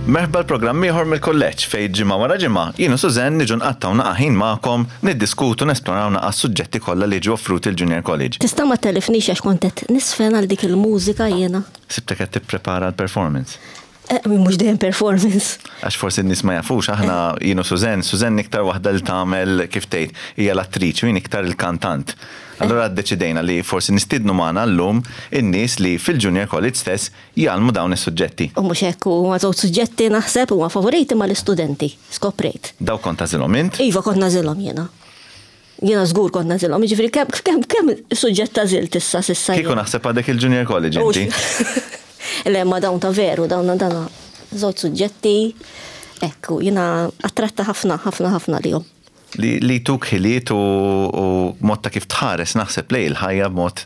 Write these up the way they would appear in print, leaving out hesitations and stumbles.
Merħba l-programm ieħor mill-kulleġġ fejn ġimgħa wara ġimgħa jien u Suzanne niġu nqattgħu naqa' ħin magħkom niddiskutu nesploraw naqa' s-suġġetti kollha li jiġu offruti l-Junior College. Tista' ma tellifnix għax kont qed nisfen għal dik il-mużika jiena. Sibtek qed tipprepara l-performance. Eh, mhux dejjem performance. Għax forsi n-nies ma jafux, aħna jien u Suzanne, Suzanne iktar waħda li tagħmel kif tgħid, hija l-attriċi u jien iktar il-kantant. Allura ddeċidejna li forsi nistiednu magħna llum in-nies li fil-Junior College stess jgħallmu dawn is-suġġetti. U mhux hekk, huma żewġ suġġetti naħseb huma favoriti mal-istudenti, skoprejt. Dawk kont tagħżilhom int? Iva kont nagħżilhom jiena. Jiena żgur kont nagħżilhom, jiġifieri kemm kemm kemm suġġett għażilt issa s'issa Kieku naħseb għadek il-Junior College inti. Le ma dawn ta' veru, dawn dana żewġ suġġetti, ekku, jiena attratta ħafna, ħafna, ħafna lihom. Li li jtuk ħiliet u mod ta' kif tħares naħseb lejn il-ħajja b'mod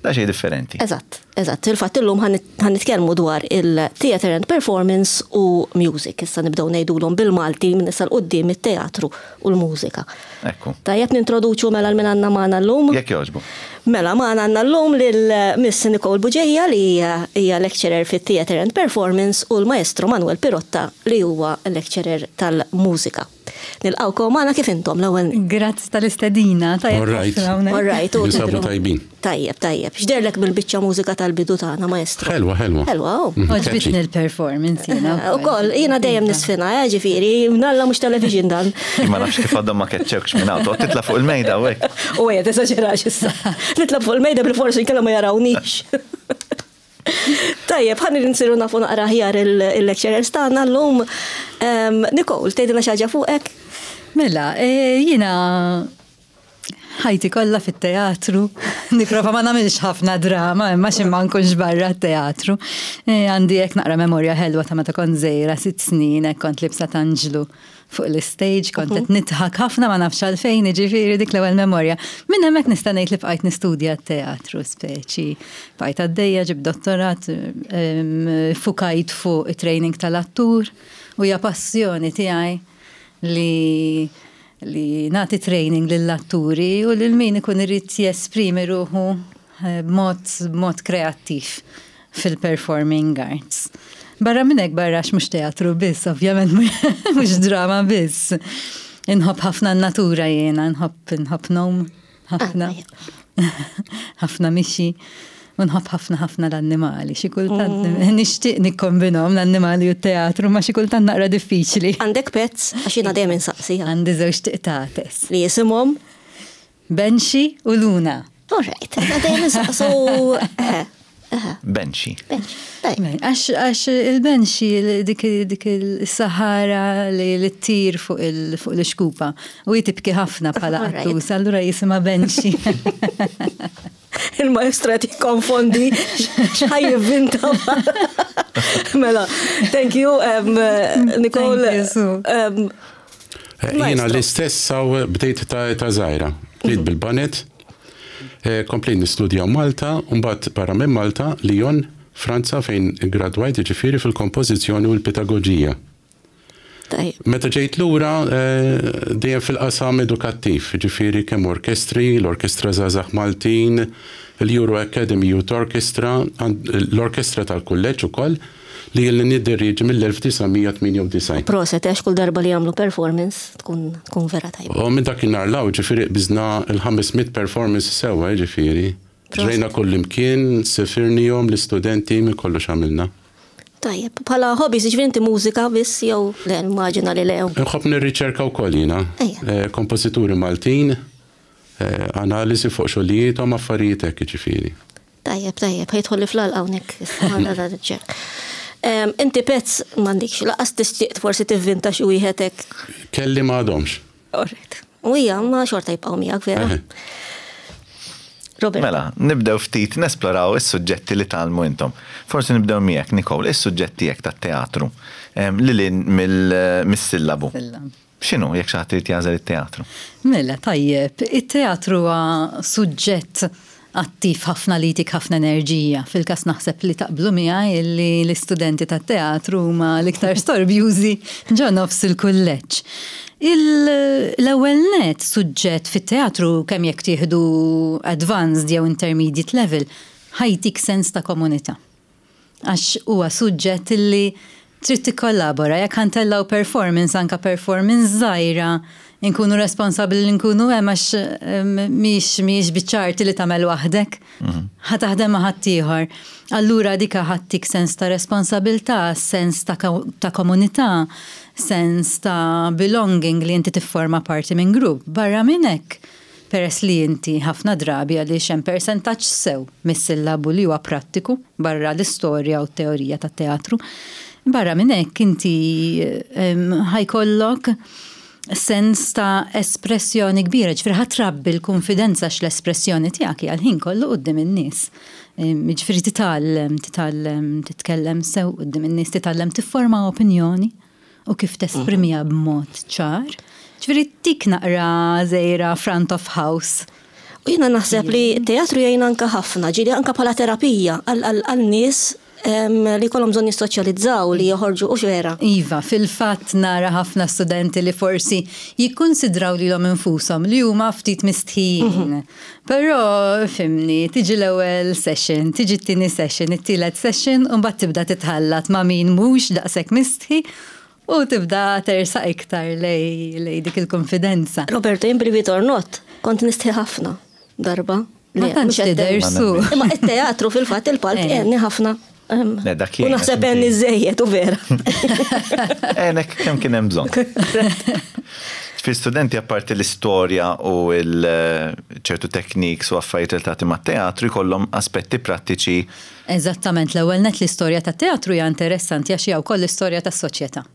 daqsxejn differenti. Eżatt, eżatt. Fil-fatt illum ħa nitkellmu dwar il-theatre and performance u music. Issa nibdew ngħidulhom bil-Malti minn issa 'l quddiem it-teatru u l-mużika. Ekku. Tajjeb nintroduċu mela 'l min għandna magħna llum? Jekk jogħġbu. Mela magħna għandna llum lil Miss Nicole Bugeja li hija lecturer fit-Theatre and Performance u l-Maestro Manuel Pirotta li huwa lecturer tal-mużika. Nilqgħukom magħna kif intom l-ewwel. Grazzi tal-istedina, tajjeb. All right. All right. Ninsabu tajbin. Tajjeb, tajjeb. X'derlek bil-biċċa mużika tal-bidu tagħna, maestro? Ħelwa, ħelwa. Ħelwa, oh. Mhm, Għoġbitni l-performance jiena. Eh, ukoll, jiena dejjem nisfina, eh, ġifieri, nalla mhux television dan. Ma nafx kif għadhom ma keċċewkx minn hawn, toqgħod titla' fuq il-mejda u hekk. U ejja tesaġerax issa. Nitla' fuq il-mejda bil-forsi nkella ma jarawniex. Tajjeb, ħa nsiru nafu naqra aħjar il-lecturers tagħna llum. Nicole, tgħidilna xi ħaġa fuqek? Mela, e, jiena ħajti kollha fit-teatru, nipprova ma nagħmilx ħafna drama, imma xi ma nkunx barra t-teatru. E, għandi hekk naqra memorja ħelwa ta' meta kont żgħira sitt snin hekk kont libsa t'anġlu fuq l-istage, kont qed nidħak ħafna ma nafx għalfejn, jiġifieri dik l-ewwel memorja. Minn hemmhekk nista' ngħid li bqajt nistudja t-teatru speċi. Bqajt għaddejja, ġibt dottorat, fukajt fuq it-training tal-attur u hija passjoni tiegħi li li nagħti training lill-atturi u lil min ikun irid jesprimi ruħu b'mod b'mod kreattiv fil-performing arts. Barra minn hekk barra għax mhux teatru biss, ovvjament mhux drama biss. Inħobb ħafna n-natura jiena, nħobb nħobb ngħum ħafna. Ah, ħafna mixi. U nħobb ħafna ħafna l-annimali. Xi kultant mm. nixtieq nikkombinhom l-annimali u t-teatru, ma xi kultant naqra diffiċli. Għandek pets, għax jiena dejjem insaqsi. Għandi żewġ tiqtates. Li jisimhom? Benxi u Luna. All right, dejjem insaqsu. Eh, eh. Benxi. Għax għax il-benxi dik dik il-sahara li li ttir fuq l-ixkupa u hi tibki ħafna bħala qattus, allura jisimha benxi. Il-maestro qed jikkonfondi x'ħaj jivvinta. Mela, thank you, um, Nicole. Um, eh, Jiena l-istess saw bdejt ta' ta' żgħira. Bdejt mhm. bil-banet, eh, komplejt nistudja Malta, u mbagħad barra minn Malta, Lyon, Franza fejn gradwajt ġifieri fil-kompożizzjoni u l-pedagoġija. Meta ġejt lura eh, dejjem fil-qasam edukattiv, ġifieri kemm orkestri, l-Orkestra Żgħażagħ Maltin, l-Euro Academy Youth Orchestra, l-Orkestra tal-Kulleġġ ukoll, li ilni nidderieġi mill-1998. Proset, għax kull darba li jagħmlu performance tkun tkun vera tajba. U minn dakinhar 'l hawn, ġifieri qbiżna l-500 performance sewwa, jiġifieri. Ġrejna kullimkien, sifirnihom l-istudenti, minn kollox għamilna. Tajjeb, bħala hobbies, jiġifieri inti mużika biss jew le, nimmaġina li le. Inħobb nirriċerka wkoll jiena. Kompożituri Maltin, analiżi fuq xogħlijiethom, affarijiet hekk jiġifieri. Tajjeb, tajjeb, ħa jidħolli fl-għalqa hawnhekk issa, ċerk. Inti pets m'għandikx, laqas tixtieq forsi tivvinta xi wieħed hekk. Kelli ma għadhomx. All right. U hija ma xorta jibqgħu miegħek vera. Robert. Mela, nibdew ftit nesploraw is-suġġetti li tgħallmu intom. Forsi nibdew miegħek, Nicole, is-suġġett tiegħek tat-teatru lil hinn mis-sillabu. X'inhu jekk xi ħadd irid jagħżel it-teatru? Mela, tajjeb, it-teatru huwa suġġett attiv ħafna li jtik ħafna enerġija. Fil-każ naħseb li taqblu miegħi li l-istudenti tat-teatru huma l-iktar storbjużi ġo nofs il-kulleġġ. L-ewwel nett suġġett fit-teatru kemm jekk tieħdu advanced jew intermediate level ħa jtik sens ta' komunità. Għax huwa suġġett li Trid tikkollabora, jekk ħa ntellgħu performance, anke performance żgħira, inkunu responsabbli li nkunu hemm għax mhix mhijiex biċċa arti li tagħmel waħdek. Ħa taħdem ma' ħaddieħor. Allura dik ħa ttik sens ta' responsabilità, sens ta' ta' komunità, sens ta' belonging li inti tifforma parti minn grupp. Barra minn hekk, peress li inti ħafna drabi għaliex hemm persentaġġ sew mis-sillabu li huwa prattiku barra l-istorja u t-teorija tat-teatru. Barra minn hekk inti ħa jkollok sens ta' espressjoni kbira, ġifieri ħa trabbi l-kunfidenza għax l-espressjoni tiegħek hija l-ħin kollu quddiem in-nies. Jiġifieri titgħallem, titgħallem titkellem sew quddiem in-nies, titgħallem tifforma opinjoni u kif tesprimiha b'mod ċar. Ġifieri tik naqra żgħira front of house. U jiena naħseb li t-teatru jgħin anke ħafna, ġieli anke bħala terapija għal nies li jkollhom bżonn jissoċjalizzaw, li joħorġu, hux vera? Iva, fil-fatt nara ħafna studenti li forsi jikkunsidraw lilhom infushom li huma ftit mistħijin. Però, fhimni, tiġi l-ewwel session, tiġi t-tieni session, it-tielet session u mbagħad tibda titħallat ma' min mhux daqshekk mistħi u tibda tersaq iktar lejn dik il-kunfidenza. Roberto, jien believe it or not, kont nistħi ħafna darba. Ma tantx tidher su. Imma it-teatru fil-fatt il-palk għenni ħafna. Le, dak U naħseb għenni żejjed u vera. Għenek kemm kien hemm bżonn. Fi studenti apparti l-istorja u ċertu techniques u affarijiet relatati mat-teatru jkollhom aspetti prattiċi. Eżattament, l-ewwel nett l-istorja tat-teatru hija interessanti għax hija wkoll l-istorja tas-soċjetà.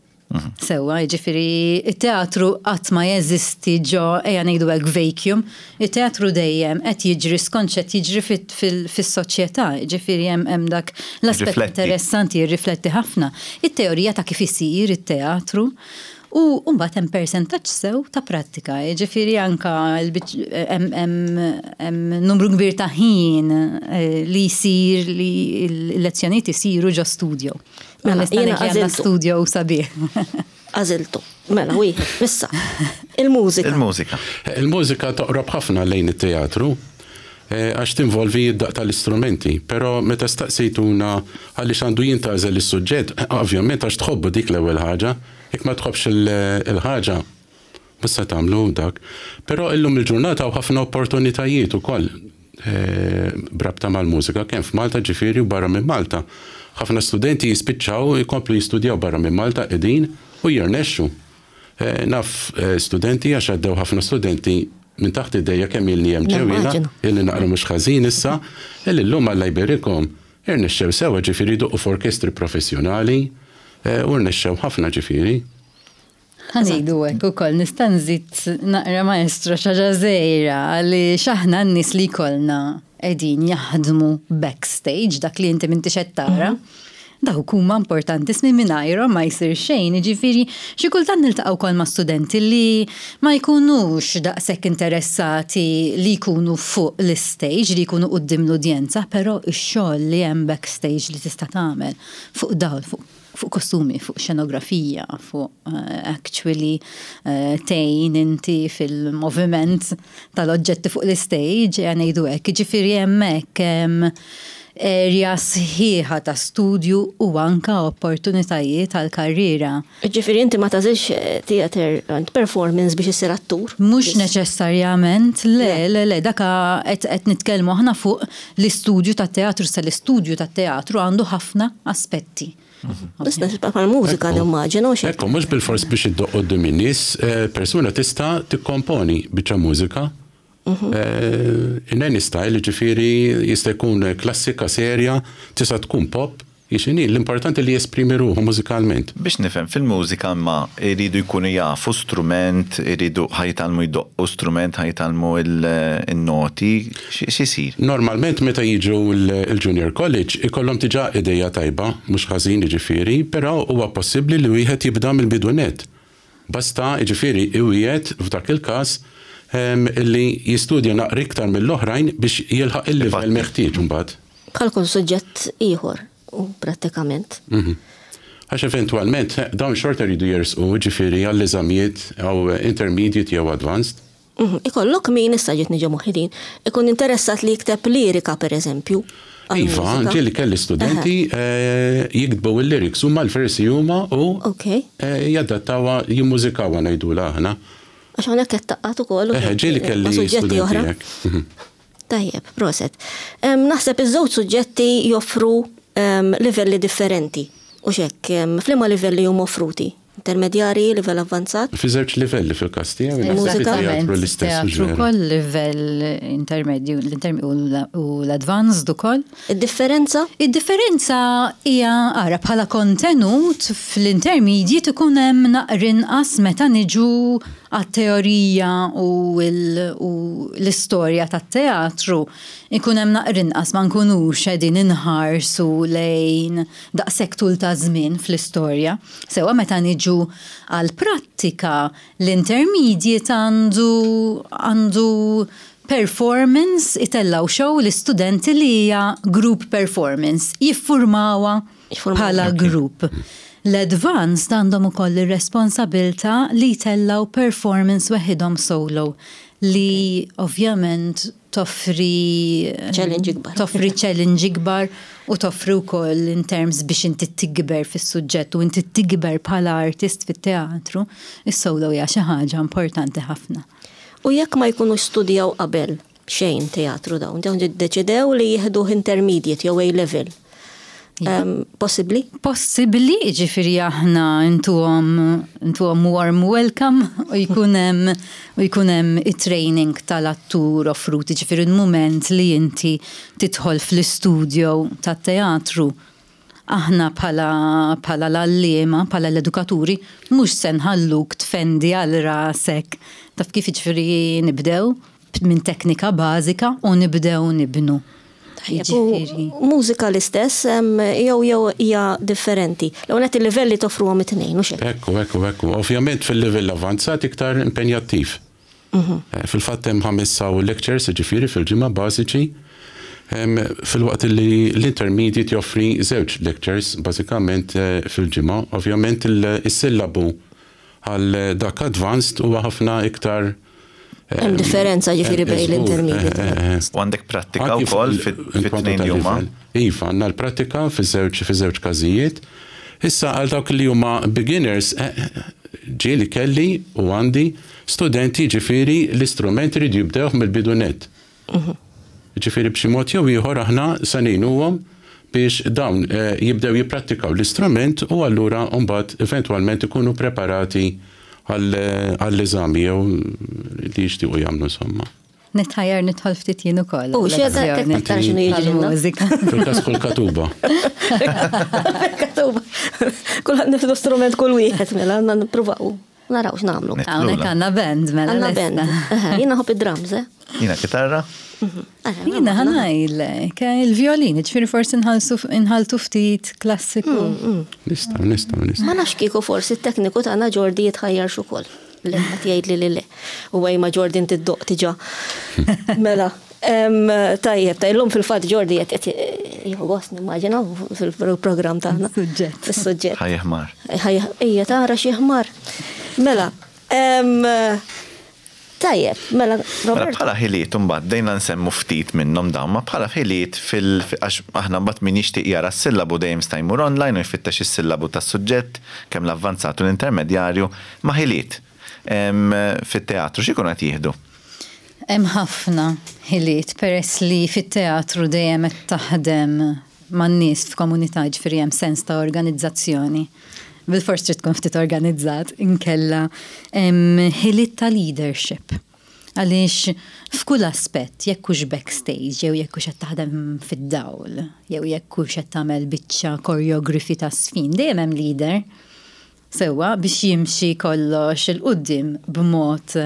Sewwa, jiġifieri t-teatru qatt ma jeżisti ġo, ejja ngħidu hekk, vacuum. It-teatru dejjem qed jiġri skont x'qed jiġri fis-soċjetà, jiġifieri hemm dak l-aspett interessanti jirrifletti ħafna. It-teorija ta' kif isir it-teatru u mbagħad hemm persentaġġ sew ta' prattika, jiġifieri anke hemm numru kbir ta' ħin li jsir li l-lezzjonijiet isiru ġo studio. Mela, jiena għandna studio sabiħ. Għażiltu. Mela, wieħed, issa. Il-mużika. Il-mużika. Il-mużika toqrob ħafna lejn it-teatru eh, għax tinvolvi id-daq tal-istrumenti, però meta staqsejtuna għaliex għandu jintgħażel is-suġġett, ovvjament għax tħobbu dik l-ewwel ħaġa, jekk ma tħobbx il-ħaġa, Mhux se tagħmlu dak. Però illum il-ġurnata hawn ħafna opportunitajiet ukoll eh, b'rabta mal-mużika, kemm f'Malta ġifieri u barra minn Malta. Ħafna studenti jispiċċaw ikomplu jistudjaw barra minn Malta qegħdin u jirnexxu. Eh, naf eh, studenti għax għaddew ħafna studenti minn taħt idejja kemm ilni hemm ġewwiena, illi naqra mhux ħażin issa, illi llum Alla jberikhom irnexxew sewa ġifieri jdoqqu f'orkestri professjonali u rnexxew ħafna ġifieri. Ħa ngħidu hekk ukoll nista' nżid naqra maestro xi ħaġa żgħira għaliex aħna n-nies li jkollna qegħdin jaħdmu backstage dak li inti m'intix qed tara. Dawk huma importantissimi mingħajrhom ma jsir xejn, jiġifieri xi kultant niltaqgħu wkoll ma' studenti li ma jkunux daqshekk interessati li jkunu fuq l-istage, li jkunu quddiem l-udjenza, però x-xogħol li hemm backstage li tista' tagħmel fuq dawl, fuq fuq kostumi, fuq xenografija, fuq actually tgħin inti fil-moviment tal-oġġetti fuq l-istage, ejja ngħidu hekk. Jiġifieri hemmhekk hemm area sħiħa ta' studju u anke opportunitajiet għal karriera. Jiġifieri inti ma tagħżilx theatre and performance biex issir attur? Mhux neċessarjament, le, le, le, dak qed nitkellmu aħna fuq l-istudju tat-teatru, issa l-istudju tat-teatru għandu ħafna aspetti. Biss bħal mużika nimmaġina u xi. Ekku, mhux bilfors biex iddoqq quddiem in-nies, eh, persuna tista' tikkomponi biċċa mużika. Mhm. Eh, in any style, ġifieri jista' jkun klassika, serja, tista' tkun pop, X'inhi, l-importanti li jesprimi ruħu mużikalment. Biex nifhem, fil-mużika imma jridu jkunu jafu strument, iridu ħa jitgħallmu jdoqqu strument, ħa jitgħallmu n-noti, x'isir? Normalment meta jiġu l-junior college ikollhom diġà ideja tajba, mhux ħażin jiġifieri, però huwa possibbli li wieħed jibda mill-bidu nett. Basta, jiġifieri, iwiegħed f'dak il-każ li jistudja naqra iktar mill-oħrajn biex jilħaq il-livell meħtieġ imbagħad. Bħal kull suġġett ieħor, prattikament. Għax eventwalment dawn xorta jridu jersqu, jiġifieri, għall-eżamijiet jew intermediate jew advanced. Ikollok min, issa ġietni ġo moħħi din, ikun interessat li jikteb lirika pereżempju. Iva, ġieli kelli studenti jiktbu il-lyrics huma l-versi huma u jadattawha, jimmużikawha ngħidulha aħna. Għax hawnhekk qed taqgħad ukoll. Ġieli kelli suġġetti oħra. Tajjeb, proset. Naħseb iż-żewġ suġġetti joffru livelli differenti. U xek, f'liema livelli huma offruti? Intermedjarji, livell avvanzat? Fi żewġ livelli fil-każ tiegħi. Mużika. Teatru ukoll livell intermedju u l-advanced ukoll. Id-differenza? Id-differenza hija ara bħala kontenut fl-intermediate ikun hemm naqra inqas meta niġu għat-teorija u l-istorja tat-teatru ikun hemm naqra inqas ma nkunux qegħdin inħarsu lejn daqshekk tul ta' żmien fl-istorja. Sewa meta niġu għal prattika l-intermediate għandu għandu performance itellaw show l-istudenti li hija group performance jiffurmawha bħala group. L-advanced għandhom ukoll ir-responsabilità li jtellaw performance weħidhom solo li ovvjament toffri challenge ikbar. Toffri challenge ikbar u toffri wkoll in terms biex inti tikber fis-suġġett u inti tikber bħala artist fit-teatru, is-solo hija xi ħaġa importanti ħafna. U jekk ma jkunux studjaw qabel xejn teatru dawn, dawn deċidew li jieħdu intermediate jew A level. Possibbli? Possibbli, ġifieri aħna intuhom intuhom warm welcome u jkun hemm u jkun hemm it-training tal-attur offrut, ġifieri il-mument li inti tidħol fl-istudio tat-teatru aħna bħala bħala l-għalliema, bħala l-edukaturi, mhux se nħalluk tfendi għal rasek. Taf kif ġifieri nibdew minn teknika bażika u nibdew nibnu. Jiġifieri. Mużika l-istess jew jew hija differenti. L-ewwel il-livelli toffruhom it-tnejn, u xejn. Ekku, ekku, ekku. Ovvjament fil-livell avanzat iktar impenjattiv. Fil-fatt hemm ħames saw lectures, ġifieri fil-ġimgħa bażiċi. Filwaqt li l-intermediate joffri żewġ lectures bażikament fil-ġimgħa. Ovvjament il-sillabu għal dak advanced huwa ħafna iktar Hemm differenza ġifieri bejn l-intermediate. U għandek prattika wkoll fit-tnejn li huma? Iva, għandna l-prattika fiż-żewġ każijiet. Issa għal dawk li huma beginners, ġieli kelli u għandi studenti ġifieri l-istrument iridu jibdewh mill-bidu net. Ġifieri b'xi mod jew ieħor aħna se ngħinuhom biex dawn jibdew jipprattikaw l-istrument u allura mbagħad eventwalment ikunu preparati għall-eżami jew li jixtiequ jagħmlu insomma. Nitħajjar nidħol ftit jien ukoll. U xi tara x'inhu jiġri. Mużika. Fil-każ kull katuba. Katuba. Kulħadd nieħdu strument kull wieħed mela għandna nippruvaw. Naraw x'nagħmlu. Hawnhekk għandna band mela. Għandna band. Jiena nħobb id-drums, eh? Jiena kitarra. Jiena ħa ngħidlek, il-violin, ġifieri forsi nħaltu ftit klassiku. Nistgħu, nistgħu, nistgħu. Ma nafx kieku forsi t-tekniku tagħna Jordi jitħajjar ukoll. Le, qed jgħid li le. U għaj ma Jordi inti ddoqq diġà. Mela, tajjeb, ta' illum fil-fatt Jordi qed jieħu gost nimmaġina fil-programm tagħna. Suġġett. Fis-suġġett. Ħa jeħmar. Ejja tara xi ħmar. Mela, tajjeb, mela, Mela Robert. bħala ħiliet imbagħad dejna nsemmu ftit minnhom dawn, ma bħala ħiliet fil għax aħna mbagħad min jixtieq jara s-sillabu dejjem sta jmur online u jfittex is-sillabu tas-suġġett kemm l-avvanzat u l-intermedjarju ma ħiliet fit-teatru x'ikunu qed jieħdu? Hemm ħafna ħiliet peress li fit-teatru dejjem qed taħdem man-nies f'komunità ġifieri hemm sens ta' organizzazzjoni. Bil-fors trid tkun ftit organizzat, inkella hemm ħiliet ta' leadership. Għaliex f'kull aspett, jekk hux backstage, jew jekk hux qed taħdem fid-dawl, jew jekk hux qed tagħmel biċċa choreography ta' sfin, dejjem hemm leader. Sewa biex jimxi kollox 'il quddiem b'mod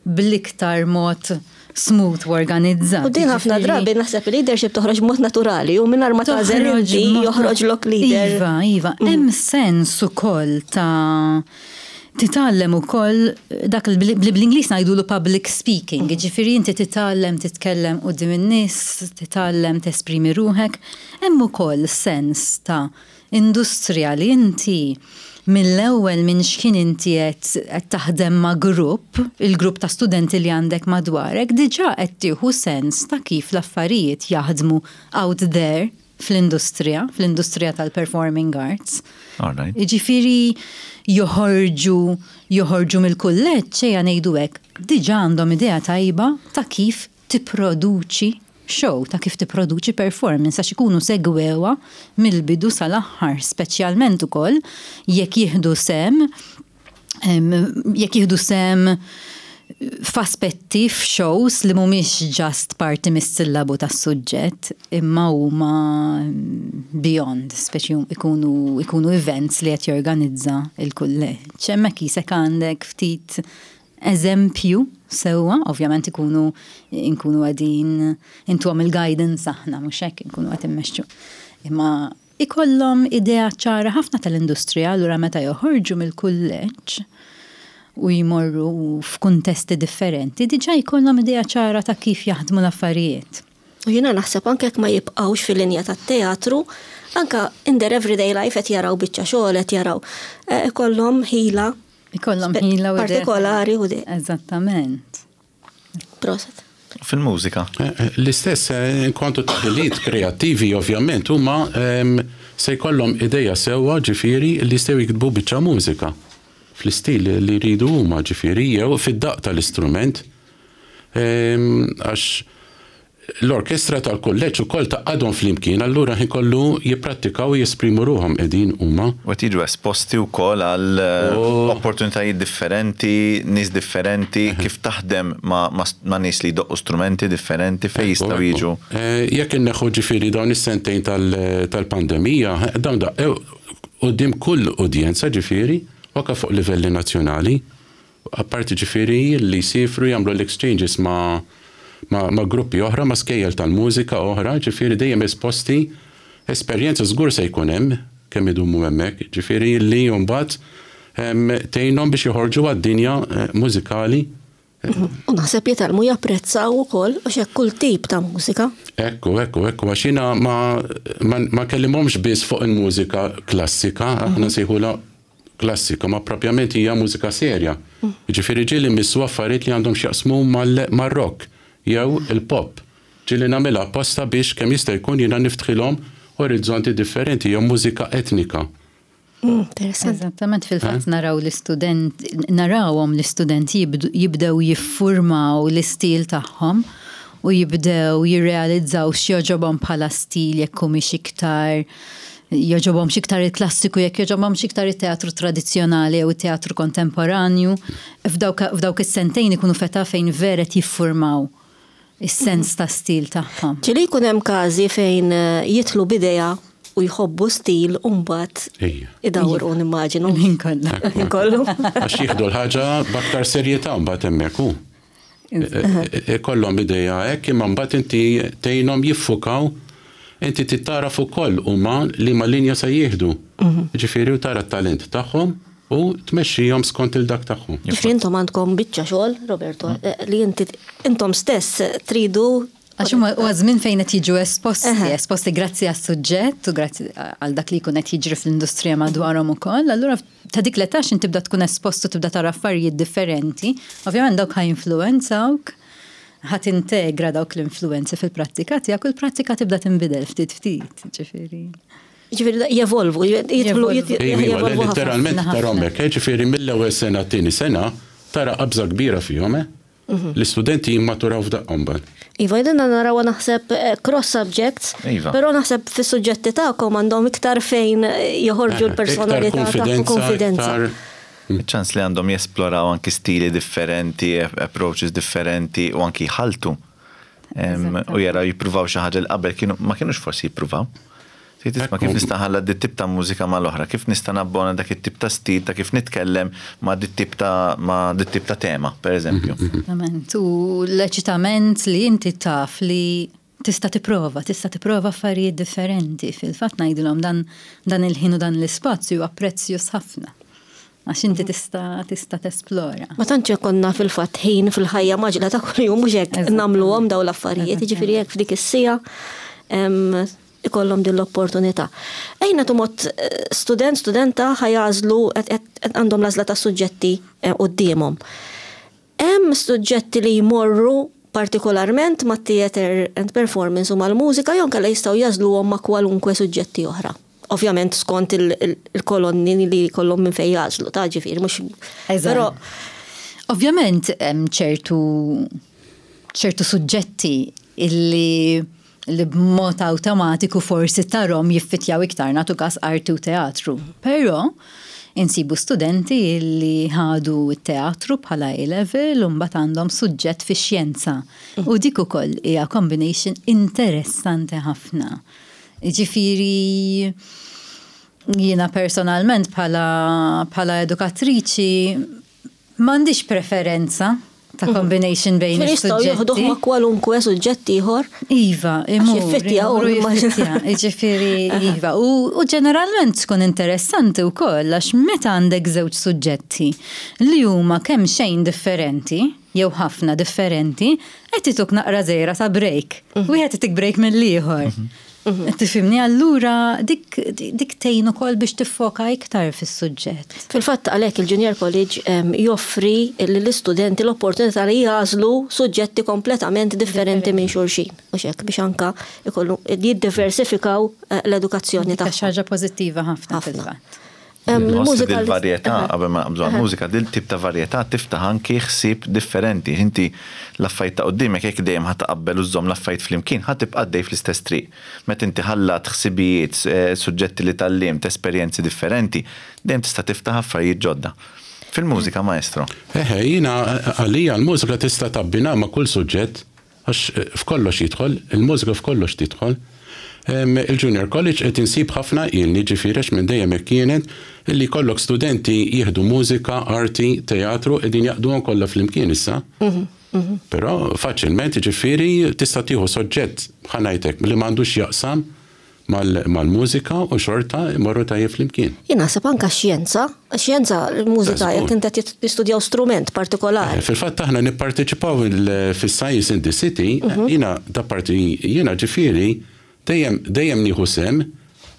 bl-iktar mod smooth u organizzat. U din ħafna Ġifieri- drabi naħseb il-leadership toħroġ mod naturali u mingħajr ma tagħżel Toħroġ inti mod- joħroġlok leader. Iva, iva, hemm sens ukoll ta' titgħallem ukoll dak li bl-Ingliż ngħidulu public speaking, ġifieri inti titgħallem titkellem quddiem in-nies, titgħallem tesprimi ruħek, hemm ukoll sens ta' industrija li inti mill-ewwel minn x'kien inti qed taħdem ma' grupp, il-grupp ta' studenti li għandek madwarek, diġà qed tieħu sens ta' kif l-affarijiet jaħdmu out there fl-industrija, fl-industrija tal-performing arts. Jiġifieri joħorġu joħorġu mill-kulleġġ ejja ngħidu hekk, diġà għandhom idea tajba ta' kif tipproduċi show, ta' kif tipproduċi performance għax ikunu segwewha mill-bidu sal-aħħar, speċjalment ukoll jekk jieħdu sehem jekk jieħdu sehem f'aspetti f'shows li mhumiex just parti mis-sillabu tas-suġġett imma huma beyond, speċi ikunu ikunu events li qed jorganizza l-kulleġġ. Hemmhekk qisek għandek ftit eżempju sewwa, ovvjament ikunu nkunu qegħdin intuhom il-guidance aħna mhux hekk inkunu qed immexxu. Imma ikollhom idea ċara ħafna tal-industrija allura meta joħorġu mill-kulleġġ u jmorru f'kuntesti differenti diġà jkollhom idea ċara ta' kif jaħdmu l-affarijiet. U jiena naħseb anke jekk ma jibqgħux fil-linja tat-teatru, anke in their everyday life qed jaraw biċċa xogħol, qed jaraw ikollhom ħila Ikollhom ħila u partikolari u di. Eżattament. Proset. Fil-mużika. Eh, eh, l-istess, eh, kontu taħiliet kreattivi ovvjament huma ehm, se jkollhom ideja sewwa ġifieri li jistgħu jiktbu biċċa mużika fl-istil li jridu huma ġifieri jew fid-daq tal-istrument. Ehm, għax L-orkestra tal-kulleġġ ukoll tgħaqqadhom flimkien allura ħin kollu jipprattikaw u jesprimu ruħhom qegħdin huma. U qed jiġu esposti wkoll għal opportunitajiet differenti, nies differenti, kif taħdem ma' nies li jdoqqu strumenti differenti fejn jistgħu jiġu. Jekk inneħħu ġifieri dawn is-sentejn tal-pandemija, dawn daqqew quddiem kull udjenza ġifieri, u anke fuq livelli nazzjonali. Apparti ġifieri li jsiefru jagħmlu l-exchanges ma' ma' gruppi oħra, ma' skejjel tal-mużika oħra, ġifieri dejjem esposti, esperjenza żgur se jkun hemm kemm idumu hemmhekk, ġifieri li mbagħad tgħinhom biex joħorġu għad-dinja mużikali. U naħseb jitgħallmu japprezzaw ukoll għax hekk kull tip ta' mużika. Ekku, ekku, ekku, għax jiena ma ma nkellimhomx biss fuq il-mużika klassika, aħna nsejħulha klassika, ma propjament hija mużika serja. Jiġifieri ġieli mmissu affarijiet li għandhom x'jaqsmu mar-rock jew il-pop. Ġieli nagħmilha apposta biex kemm jista' jkun jiena niftħilhom orizzonti differenti jew mużika etnika. Interessanti. Eżattament, fil-fatt naraw l-istudent, narawhom l-istudenti jibdew jiffurmaw l-istil tagħhom u jibdew jirrealizzaw x'jogħġobhom bħala stil jekk humiex iktar jogħġobhomx iktar il-klassiku, jekk jogħġobhomx iktar it-teatru tradizzjonali jew it-teatru kontemporanju, f'dawk is-sentejn ikunu f'età fejn vera qed jiffurmaw is-sens ta' stil tagħhom. Ġieli jkun hemm każi fejn jidħlu b'idea u jħobbu stil u mbagħad idawru nimmaġinu. Il-ħin kollu. Il-ħin kollu. Għax jieħdu l-ħaġa b'aktar serjetà mbagħad hemmhekk hu. Ikollhom idea hekk imma mbagħad inti tgħinhom jiffukaw inti trid tagħraf ukoll huma liema linja se jieħdu. Jiġifieri u tara t-talent tagħhom u tmexxihom skont il dak tagħhom. Jiġifieri intom għandkom biċċa xogħol, Roberto, li inti intom stess tridu Għax huma huwa żmien fejn qed jiġu esposti, esposti grazzi għas-suġġett u grazzi għal dak li jkun qed jiġri fl-industrija madwarhom ukoll. Allura ta' dik l-età x'int tibda tkun espost u tibda tara affarijiet differenti, ovvjament dawk ħa jinfluwenzawk, ħa tintegra dawk l-influwenzi fil-prattika tiegħek u l-prattika tibda tinbidel ftit ftit, ġifieri. Ġifieri jevolvu, jidħlu jevolvu. Literalment tarahom hekk, ġifieri mill-ewwel sena t-tieni sena tara qabża kbira fihom, eh? Mhm. L-istudenti jimmaturaw f'daqqa mbagħad. Iva, jedinna narawha naħseb eh, cross subjects, iva. però naħseb fis-suġġetti tagħkom għandhom iktar fejn eh, joħorġu Eh, l-personalità tagħhom konfidenza. Ċans li għandhom jesploraw anki stili differenti, approaches differenti u anki jħaltu. U jaraw jippruvaw xi ħaġa li qabel kienu ma kienux forsi jippruvaw. Trid tisma' kif nista' nħallat dit tip ta' mużika mal-oħra, kif nista' nabbona dak it-tip ta' stil ta' kif nitkellem ma' dit tip ta' ma' dit tip ta' tema, per eżempju. Esattament. U l-eċitament li inti taf li tista' tipprova, tista' tipprova affarijiet differenti. Fil-fatt ngħidilhom dan dan il-ħin u dan l-ispazju huwa prezzjuż ħafna. Għax inti tista' tista' tesplora. Ma tantx ikollna fil-fatt ħin fil-ħajja maġla ta' kuljum mhux hekk nagħmluhom dawn l-affarijiet, jiġifieri hekk f'dik is-siegħa. ikollhom din l-opportunità. Ejja nagħtu mod student, studenta ħa jagħżlu għandhom l-għażla ta' suġġetti quddiemhom. Hemm suġġetti li jmorru partikolarment mat-theatre and performance u mal-mużika jew inkella jistgħu jagħżluhom ma' kwalunkwe suġġetti oħra. Ovvjament skont il-kolonni li jkollhom minn fejn jagħżlu, ta' ġifieri mhux. Però Ovvjament hemm ċertu ċertu suġġetti illi li b'mod awtomatiku forsi tarhom jiffitjaw iktar nagħtu każ arti u teatru. Però insibu studenti li ħadu t-teatru bħala A-level u mbagħad għandhom suġġett fix-xjenza. U dik ukoll hija combination interessanti ħafna. Jiġifieri jiena personalment bħala bħala edukatriċi M'għandix preferenza ta' combination bejn is-suġġetti. Jistgħu joħduh ma' kwalunkwe suġġett ieħor. Iva, imur. Jiffittja, jiġifieri iva. U ġeneralment tkun interessanti wkoll għax meta għandek żewġ suġġetti li huma kemm xejn differenti, jew ħafna differenti, qed ituk naqra żgħira ta' break. Wieħed itik break mill-ieħor. Tifhimni? Allura dik dik tgħin ukoll biex tiffoka iktar fis-suġġett. Fil-fatt għalhekk il-Junior College joffri lill-istudenti l-opportunità li jagħżlu suġġetti kompletament differenti minn xulxin, mhux hekk, biex anke jkollu jiddiversifikaw l-edukazzjoni tagħhom. Dik xi ħaġa pożittiva ħafna fil-fatt. Nħoss li dil-varjetà, qabel ma naqbżu għall-mużika, dil-tip ta' varjetà tiftaħ anki ħsieb differenti. Inti l-affarijiet ta' quddiemek jekk dejjem ħa taqabbel u żżomm l-affarijiet flimkien, ħa tibqa' għaddej fl-istess triq. Meta inti ħallat ħsibijiet, suġġetti li tgħallimt, esperjenzi differenti, dejjem tista' tiftaħ affarijiet ġodda. Fil-mużika, maestro? Eħe, jiena għalija l-mużika tista' tabbinha ma' kull suġġett. Għax f'kollox jidħol, il-mużika f'kollox tidħol. Il-Junior College qed insib ħafna ilni, ġifieri għax minn dejjem hekk kienet, illi jkollok studenti jieħdu mużika, arti, teatru, qegħdin jgħaqqduhom kollha flimkien issa. Però faċilment, ġifieri, tista' tieħu soġġett, ħa ngħid hekk, li m'għandux x'jaqsam mal-mużika u xorta jmorru tajjeb flimkien. Jien naħseb anke x-xjenza, x-xjenza, l-mużika, jekk inti qed tistudjaw strument partikolari. Fil-fatt aħna nipparteċipaw fis-Science in the City, jiena da parti jiena ġifieri dejjem dejjem nieħu sehem,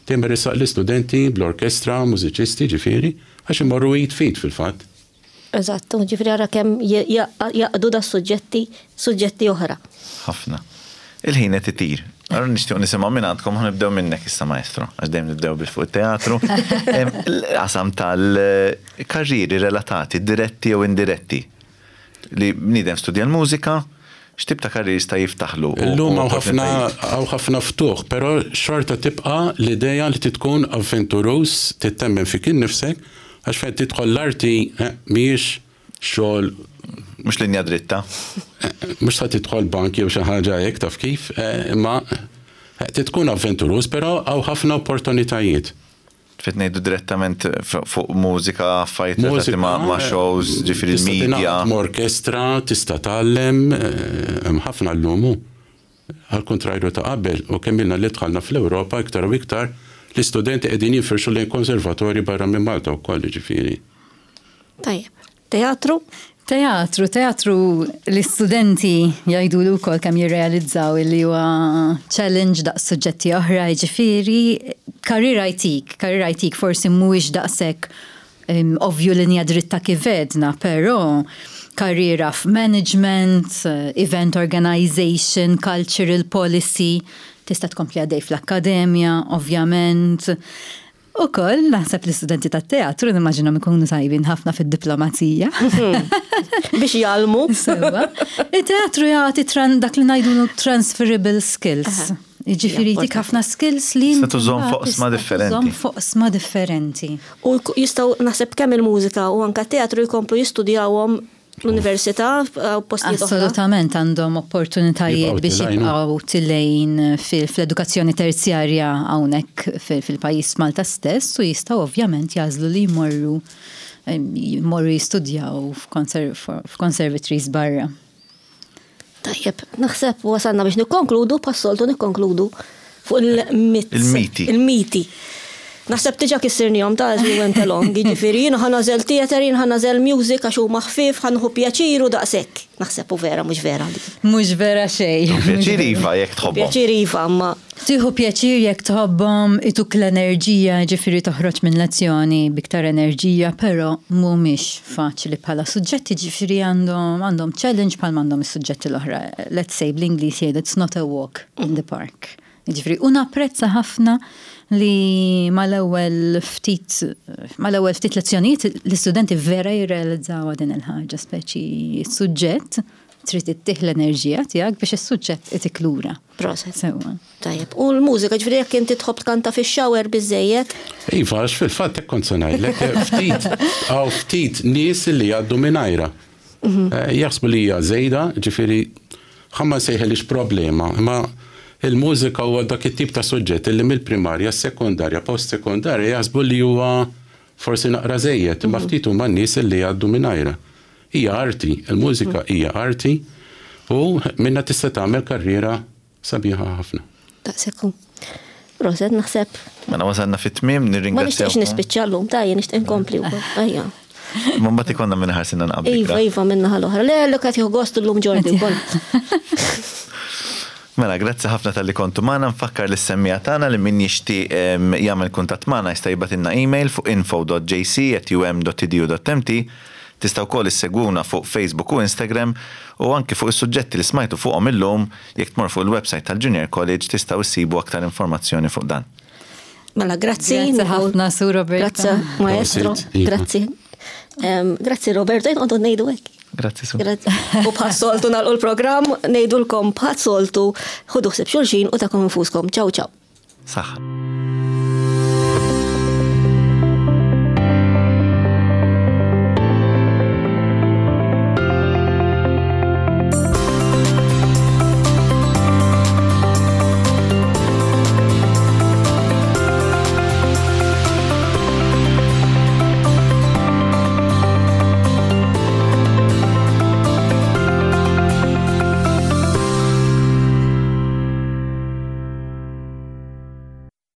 dejjem iressaq l-istudenti bl-orkestra, mużiċisti ġifieri, għax imorru id f'id fil-fatt. Eżatt, ġifieri ara kemm jaqdu da suġġetti suġġetti oħra. Ħafna. Il-ħin qed itir. Allura nixtieq nisimgħu minn għandkom ħa nibdew minnek issa maestro, għax dejjem nibdew bil fuq it-teatru. L-qasam tal-karrieri relatati, diretti jew indiretti. Li bniedem studja l-mużika, x'tip ta' karrieri jista' jiftaħlu? Illum hawn ħafna hawn ħafna ftuħ, però xorta tibqa' l-idea li trid tkun avventuruż, trid temmen fik innifsek Għax fejn tidħol l-arti mhijiex xogħol. Mhux linja dritta. Mhux sa tidħol bank jew xi ħaġa hekk taf kif, imma trid tkun avventuruż, però hawn ħafna opportunitajiet. Trid ngħidu direttament fuq mużika, affarijiet relatati ma' shows, ġifieri l-media. Ma' orkestra, tista' tgħallem, hemm ħafna llum hu. Għall-kuntrarju ta' qabel, u kemm ilna li dħalna fl-Ewropa, iktar u iktar, l-istudenti qegħdin jinfirxu lejn konservatorji barra minn Malta wkoll, jiġifieri. Tajjeb. Teatru? Teatru, teatru l-istudenti jgħiduli wkoll kemm jirrealizzaw li huwa challenge daqs suġġetti oħra, jiġifieri career jtik, career jtik forsi mhuwiex daqshekk Ovvju linja dritta kif għedna, però karriera f'management, event organization, cultural policy, tista' tkompli għaddej fl-akkademja, ovvjament. Ukoll naħseb l-istudenti tat-teatru nimmaġinhom ikunu tajbin ħafna fid-diplomazija. Biex jgħallmu. Sewwa. Il-teatru jagħti dak li ngħidulu transferable skills. Jiġifieri jtik ħafna skills li Tista' tużhom f'oqsma differenti. Tużhom f'oqsma differenti. U jistgħu naħseb kemm il-mużika u anke t-teatru jkomplu jistudjawhom l-università u postijiet oħra. Assolutament għandhom opportunitajiet biex jibqgħu tilgħin fl-edukazzjoni terzjarja hawnhekk fil-pajjiż Malta stess u jistgħu ovvjament jagħżlu li jmorru jmorru jistudjaw f'conservatories barra. Tajjeb, naħseb wasalna biex nikkonkludu, bħas-soltu nikkonkludu fuq il-myths. Il-miti. Il-miti. Naħseb diġà kissirnihom ta' as we went along, jiġifieri jiena ħa nagħżel theatre, jien ħa nagħżel music għax huma ħfief, ħa nieħu pjaċir u daqshekk. Naħseb u vera mhux vera dik. Mhux vera xejn. Pjaċir iva jekk tħobbhom. Pjaċir iva, imma. Tieħu pjaċir jekk tħobbhom, ituk l-enerġija, jiġifieri toħroġ minn lezzjoni b'iktar enerġija, però mhumiex faċli bħala suġġetti, jiġifieri għandhom għandhom challenge bħalma għandhom is-suġġetti l-oħra. Let's say bl-Ingliż jgħidu it's not a walk in the park. Jiġifieri, u napprezza ħafna li mal-ewwel ftit mal-ewwel ftit lezzjonijiet l-istudenti vera jirrealizzawha din il-ħaġa, speċi s-suġġett trid ittih l-enerġija tiegħek biex is-suġġett itik lura. Proset. Sewwa. Tajjeb. U l-mużika, ġifieri jekk inti tħobb tkanta fix-shower biżżejjed? Iva, għax fil-fatt hekk kont se ngħidlek, ftit hawn ftit nies li jgħaddu mingħajrha. Jaħsbu li hija żejda, ġifieri ħa ma nsejħilhiex problema, imma il-mużika huwa dak it-tip ta' suġġett li mill-primarja, s-sekondarja, post-sekondarja jaħsbu li huwa forsi naqra żejjed, imma ftit huma n-nies li jgħaddu mingħajrha. Hija arti, il-mużika hija arti u minnha tista' tagħmel karriera Sabiħa ħafna. Daqshekk hu. Proset naħseb. Mela wasalna fit-tmiem nirringrazzjaw. Ma nixtieqx nispiċċa llum, ta' jien nixtieq inkompli wkoll. Ejja. Ma mbagħad ikollna minn ħarsinna nqabli. Iva, iva minna ħal-oħra. Le, l qed jieħu gost illum ġordi wkoll. Mela, grazzi ħafna tal-li kontu magħna, nfakkar lis semmija tagħna li min jixtieq jagħmel kuntatt magħna jista' jibgħatilna email fuq info.jc@um.edu.mt Tistgħu wkoll issegwuna fuq Facebook u Instagram u anki fuq is-suġġetti li smajtu fuqhom illum, jekk tmorru fuq il-website tal-Junior College tistgħu issibu aktar informazzjoni fuq dan. Mela grazzi. Grazzi ħafna Sur Roberto. Grazzi maestro. Grazzi. Grazzi Roberto, jien qogħdu ngħidu hekk. Grazzi Sur. Grazzi. U bħas-soltu nagħlqu l-programm, ngħidulkom bħas-soltu ħudu ħsieb xulxin u takom infuskom. Ciao ciao. Saħħa.